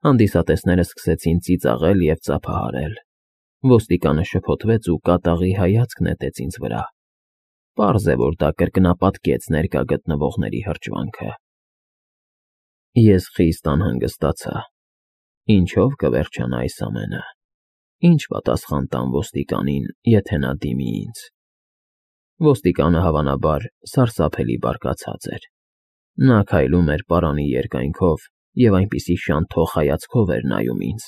Հանդիսատեսները սկսեցին ծիծաղել և ծափահարել։ Ոստիկանը շփոթվեց ու կատաղի հայացք նետեց ինձ վրա։ Պարզ է, որ դա կրկնապատկեց ներկա գտնվողների հրճվանքը։ Ես խիստ անհանգստացա։ Ինչով կվերջանա այս ամենը։ Ինչ պատասխան տամ ոստիկանին, եթե նա դիմի ինձ։ Ոստիկանը, հավանաբար, սարսափելի բարկացած էր։ Նա քայլում էր պարանի երկայնքով և այնպիսի շանթող հայացքով էր նայում ինձ,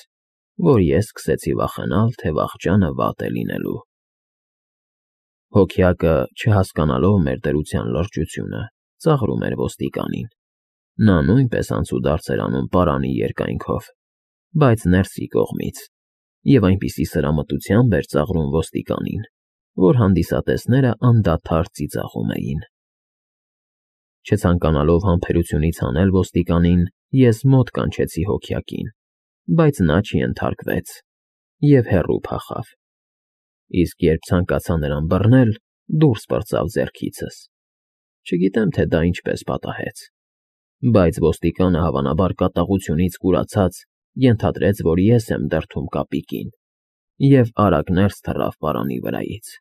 որ ես սկսեցի վախենալ, թե վախճանը վատ է լինելու։ Հոգյակը, չհասկանալով մեր դրության լրջությունը, ծաղրում էր ոստիկանին։ Նա նույնպես անցուդարձ էր անում պարանի երկայնքով, բայց ներսի կողմից, և այնպիսի սրամտությամբ էր ծաղրում ոստիկանին, որ հանդիսատեսները անդադար ծիծաղում էին։ Չցանկանալով համբերությունից հանել ոստիկանին, ես մոտ կանչեցի հոգյակին, բայց նա չենթարկվեց և հեռու փախավ, իսկ երբ ցանկացա նրան բռնել, դուրս պրծավ ձեռքիցս։ Չգիտեմ, թե դա ինչպես պատահեց, բայց ոստիկանը, հավանաբար կատաղությունից կուրացած, ենթադրեց, որ ես եմ դրդում կապիկին, և արագ ներս թռավ պարանի վրայից։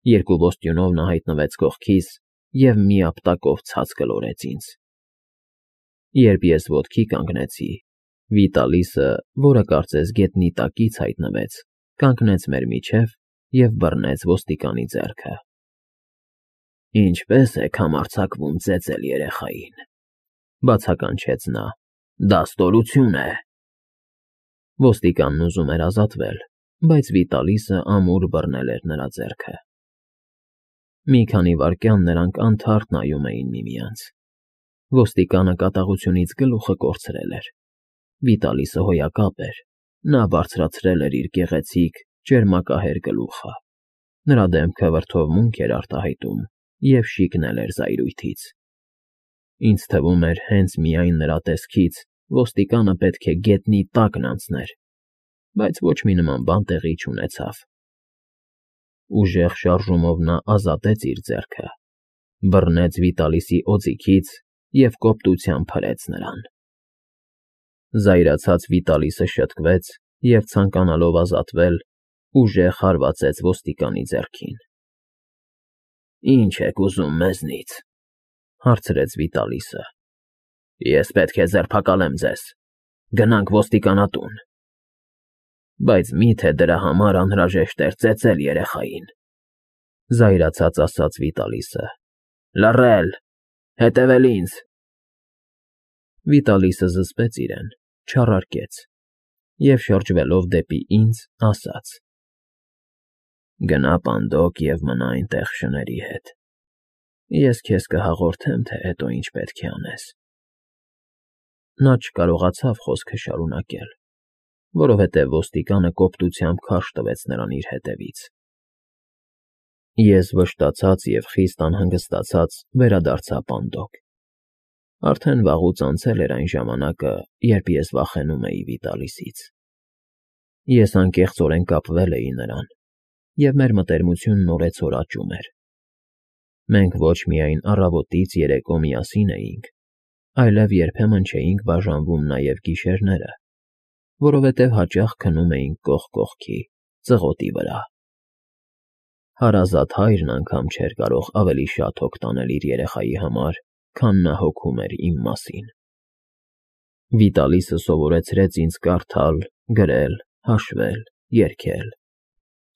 Երկու ոստյունով նա հայտնվեց կողքիս և միապտակով ցած գլորեց ինձ։ Երբ ես ոտքի կանգնեցի, Վիտալիսը, որը կարծես գետնի տակից հայտնվեց, կանգնեց մեր միջև և բռնեց ոստիկանի ձեռքը։ «Ինչպե՞ս եք համարձակվում ծեծել երեխային,֊ բացականչեց նա,֊ դա ստորություն է»։ Ոստիկանն ուզում էր ազատվել, բայց Վիտալիսը ամուր բռնել էր նրա ձեռքը։ Մի քանի վայրկյան նրանք անթարթ նայում էին միմյանց։ Ոստիկանը կատաղությունից գլուխը կորցրել էր։ Վիտալիսը հոյակապ էր, նա բարձրացրել էր իր գեղեցիկ, ճերմակահեր գլուխը։ Նրա դեմքը վրդովմունք էր արտահայտում և շիկնել էր զայրույթից։ Ինձ թվում էր, հենց միայն նրա տեսքից ոստիկանը պետք է գետնի տակն անցներ, բայց ոչ մի նման բան տեղի չունեցավ։ Ուժեղ շարժումով նա ազատեց իր ձեռքը, բռնեց Վիտալիսի օձիքից և կոպտությամբ հրեց նրան։ Զայրացած Վիտալիսը շտկվեց և, ցանկանալով ազատվել, ուժեղ հարվածեց ոստիկանի ձեռքին։ «Ի՞նչ եք ուզում մեզնից,֊ հարցրեց Վիտալիսը։ Ես պետք է ձերբակալեմ ձեզ։ Գնանք ոստիկանատուն։ Բայց մի՞թե դրա համար անհրաժեշտ էր ծեծել երեխային,֊ զայրացած ասաց Վիտալիսը։ Լռել, հետևել ինձ։ Վիտալիսը զսպեց իրեն, չառարկեց և, շրջվելով դեպի ինձ, ասաց. «Գնա պանդոկ և մնա այնտեղ շների հետ։ Ես քեզ կհաղորդեմ, թե հետո ինչ պետք է անես»։ Նա չկարողացավ խոսքը շարունակել, որովհետև ոստիկանը կոպտությամբ քարշ տվեց նրան իր հետևից։ Ես վշտացած և խիստ անհանգստացած վերադարձա պանդոկ։ Արդեն վաղուց անցել էր այն ժամանակը, երբ ես վախենում էի Վիտալիսից։ Ես անկեղծորեն կապվել էի նրան, և մեր մտերմությունն օրեցօր աճում էր։ Մենք ոչ միայն առավոտից երեկո միասին էինք, այլև երբեմն չէինք բաժանվում նաև գիշերները, որովհետև հաճախ քնում էինք կողք կողքի, ծղոտի վրա։ Հարազատ հայրն անգամ չէր կարող ավելի շատ հոգ տանել իր երեխայի համար, քան նա հոգում էր իմ մասին։ Վիտալիսը սովորեցրեց ինձ կարդալ, գրել, հաշվել, երգել։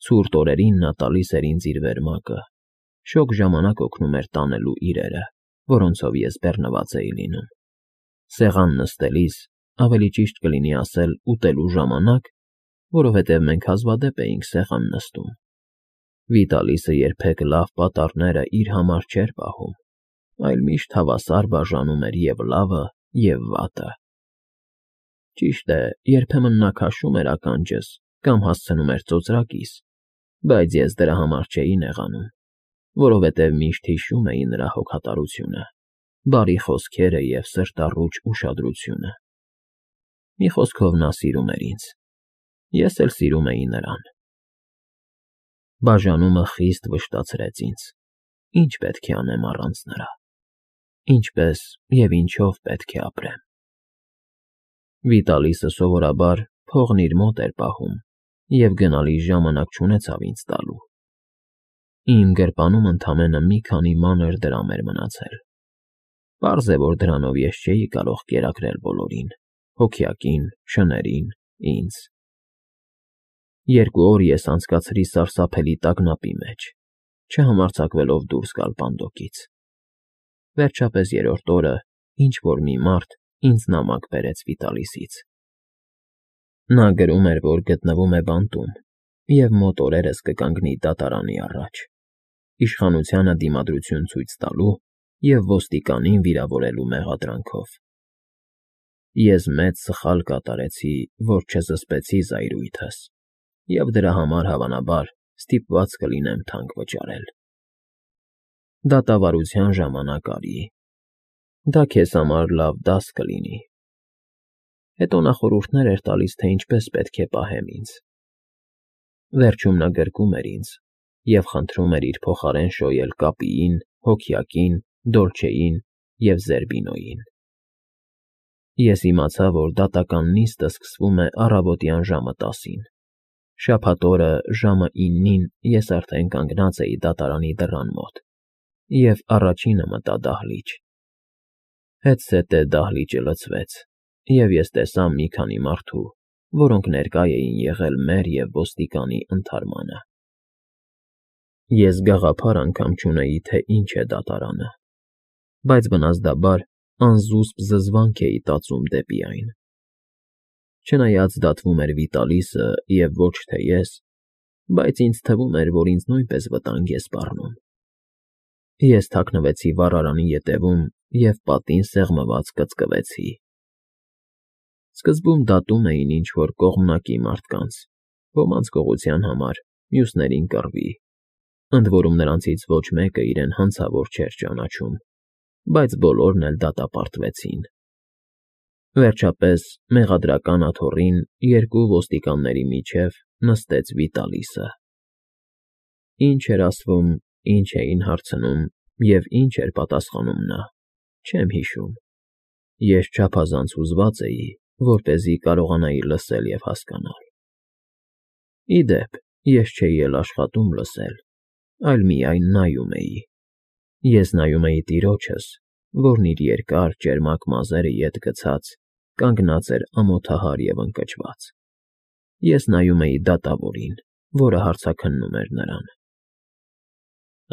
Ցուրտ օրերին նա տալիս էր ինձ իր վերմակը, շոգ ժամանակ օգնում էր տանելու իրերը, որոնցով ես բեռնված էի լինում։ Սեղան նստելիս, ավելի ճիշտ կլինի ասել ուտելու ժամանակ, որովհետև մենք հազվադեպ էինք սեղան նստում, Վիտալիսը երբեք լավ պատառները իր համար չէր պահում, այլ միշտ հավասար բաժանում էր և լավը, և վատը։ Ճիշտ է, երբեմն նա քաշում էր ականջս կամ հասցնում էր ծոծրակիս, բայց ես դրա համար չէի նեղանում, որովհետև միշտ հիշում էի նրա հոգատարությունը, բարի խոսքերը և սրտառուչ ուշադրությունը։ Մի խոսքով, նա սիրում էր ինձ, ես էլ սիրում էի նրան։ Բաժանումը խիստ վշտացրեց ինձ. ինչ պետք է անեմ առանց նրա, ինչպես և ինչով պետք է ապրեմ։ Վիտալիսը սովորաբար փողն իր մոտ էր պահում և գնալիս ժամանակ չունեցավ ինձ տալու։ Իմ գրպանում ընդամենը մի քանի մանր դրամ էր մնացել։ Պարզ է, որ դրանով ես չէի կարող կերակրել բոլորին՝ հոգյակին, շներին, ինձ։ 2 օր ես անցկացրի սարսափելի տագնապի մեջ, չհամարձակվելով դուրս գալ պանդոկից։ Վերջապես 3-րդ օրը ինչ-որ մի մարդ ինձ նամակ բերեց Վիտալիսից։ Նա գրում էր, որ գտնվում է բանտում և մոտ օրերս կկանգնի դատարանի առաջ, իշխանությանը դիմադրություն ցույց տալու և ոստիկանին վիրավորելու մեղադրանքով։ Ես մեծ սխալ կատարեցի, որ չզսպեցի զայրույթս, և դրա համար, հավանաբար, ստիպված կլինեմ թանկ վճարել։ Դատավարության ժամանակ արի։ Դա քեզ համար լավ դաս կլինի։ Հետո նա խորհուրդներ էր տալիս, թե ինչպես պետք է պահեմ ինձ։ Վերջում նա գրկում էր ինձ և խնդրում էր իր փոխարեն շոյել կապիին, հոգյակին, դոլչեին և զերբինոյին։ Ես իմացա, որ դատական նիստը սկսվում է առավոտյան ժամը 10-ին։ Շաբաթ օրը ժամը 9-ին ես արդեն կանգնած էի դատարանի դռան մոտ և առաջինը մտա դահլիճ։ Հետզհետե դահլիճը լցվեց, և ես տեսա մի քանի մարդու, որոնք ներկա էին եղել մեր և ոստիկանի ընդհարմանը։ Ես գաղափար անգամ չունեի, թե ինչ է դատարանը, բայց բնազդաբար անզուսպ զզվանք էի տածում դեպի այն։ Չնայած դատվում էր Վիտալիսը և ոչ թե ես, բայց ինձ թվում էր, որ ինձ նույնպես վտանգ է սպառնում։ Ես թաքնվեցի վառարանի ետևում և պատին սեղմված կծկվեցի։ Սկզբում դատում էին ինչ֊որ կողմնակի մարդկանց, ոմանց գողության համար, մյուսներին կռվի, ընդ որում նրանցից ոչ մեկը իրեն հանցավոր չէր ճանաչում, բայց բոլորն էլ դատապարտվեցին։ Վերջապես, մեղադրական աթոռին 2 ոստիկանների միջև նստեց Վիտալիսը։ Ինչ էր ասվում, ինչ էին հարցնում և ինչ էր պատասխանում նա, չեմ հիշում։ Ես չափազանց հուզված էի, որպեսզի կարողանայի լսել և հասկանալ։ Ի դեպ, ես չէի էլ աշխատում լսել, այլ միայն նայում էի։ Ես նայում էի տիրոջս, որն իր երկար, ճերմակ մազերը ետ գցած, կանգնած էր ամոթահար և ընկճված։ Ես նայում էի դատավորին, որը հարցաքննում էր նրան։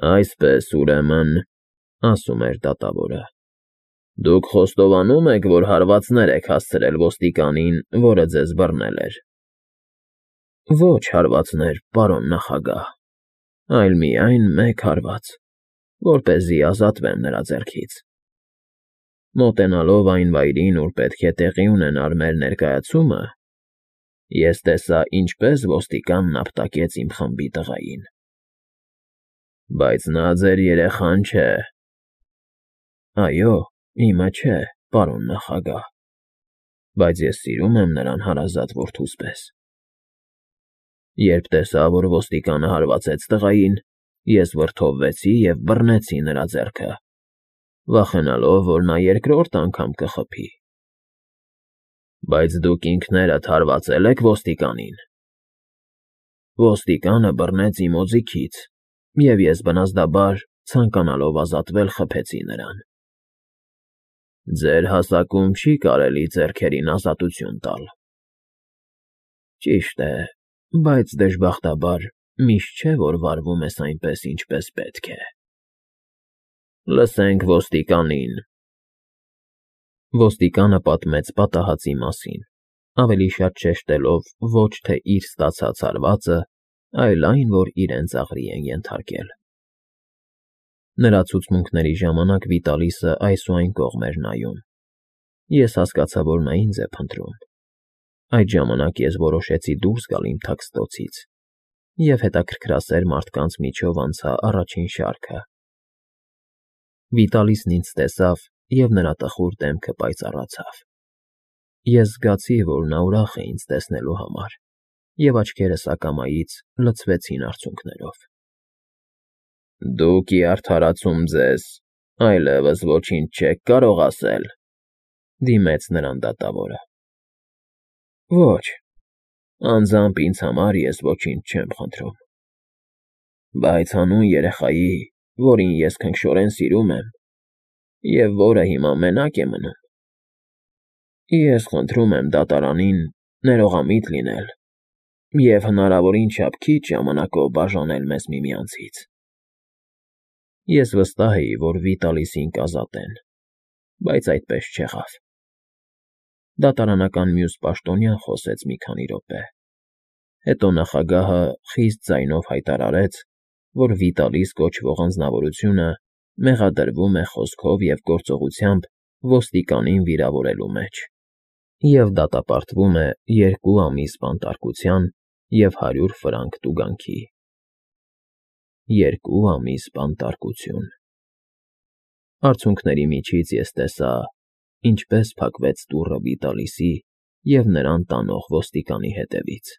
«Այսպես, ուրեմն,֊ ասում էր դատավորը,֊ դուք խոստովանում եք, որ հարվածներ եք հասցրել ոստիկանին, որը ձեզ բռնել էր»։ «Ոչ հարվածներ, պարոն նախագահ, այլ միայն մեկ հարված, որպեսզի ազատվեմ նրա ձեռքից։ Մոտենալով այն վայրին, ուր պետք է տեղի ունենար մեր ներկայացումը, ես տեսա, ինչպես ոստիկանն ապտակեց իմ խմբի տղային։ Բայց նա ձեր երեխան չէ։ Այո, իմը չէ, պարոն նախագահ, բայց ես սիրում եմ նրան հարազատ որդուս պես։ Երբ տեսա, որ ոստիկանը հարվածեց տղային, ես վրդովվեցի և բռնեցի նրա ձեռքը, վախենալով, որ նա երկրորդ անգամ կխփի։ Բայց դուք ինքներդ հարվածե՞լ եք ոստիկանին։ Ոստիկանը բռնեց իմ օձիքից, և ես բնազդաբար, ցանկանալով ազատվել, խփեցի նրան։ Ձեր հասակում չի կարելի ձեռքերին ազատություն տալ։ Ճիշտ է, բայց դժբախտաբար միշտ չէ, որ վարվում ես այնպես, ինչպես պետք է։ Լսենք ոստիկանին։ Ոստիկանը պատմեց պատահածի մասին, ավելի շատ շեշտելով ոչ թե իր ստացած հարվածը, այլ այն, որ իրեն ծաղրի են ենթարկել։ Նրա ցուցմունքների ժամանակ Վիտալիսը այս ու այն կողմ էր նայում։ Ես հասկացա, որ նա ինձ է փնտրում։ Այդ ժամանակ ես որոշեցի դուրս գալ իմ թաքստոցից և հետաքրքրասեր մարդկանց միջով անցա առաջին շարքը։ Վիտալիսն ինձ տեսավ, և նրա տխուր դեմքը պայծառացավ։ Ես զգացի, որ նա ուրախ է ինձ տեսնելու համար, և աչքերս ակամայից լցվեցին արցունքներով։ Դուք ի արդարացում ձեզ այլևս ոչինչ չեք կարող ասել,֊ դիմեց նրան դատավորը։ Ոչ, անձամբ ինձ համար ես ոչինչ չեմ խնդրում, բայց հանուն երեխայի, որին ես քնքշորեն սիրում եմ և որը հիմա մենակ է մնում, ես խնդրում եմ դատարանին ներողամիտ լինել և հնարավորին չափ քիչ ժամանակով բաժանել մեզ միմյանցից։ Ես վստահ էի, որ Վիտալիսին կազատեն, բայց այդպես չեղավ։ Դատարանական մյուս պաշտոնյան խոսեց մի քանի րոպե, հետո նախագահը խիստ ձայնով հայտարարեց, որ Վիտալիս կոչվող անձնավորությունը մեղադրվում է խոսքով և գործողությամբ ոստիկանին վիրավորելու մեջ և դատապարտվում է 2 ամիս բանտարկության և 100 ֆրանկ տուգանքի։ 2 ամիս բանտարկություն… Արցունքների միջից ես տեսա, ինչպես փակվեց դուռը Վիտալիսի և նրան տանող ոստիկանի հետևից։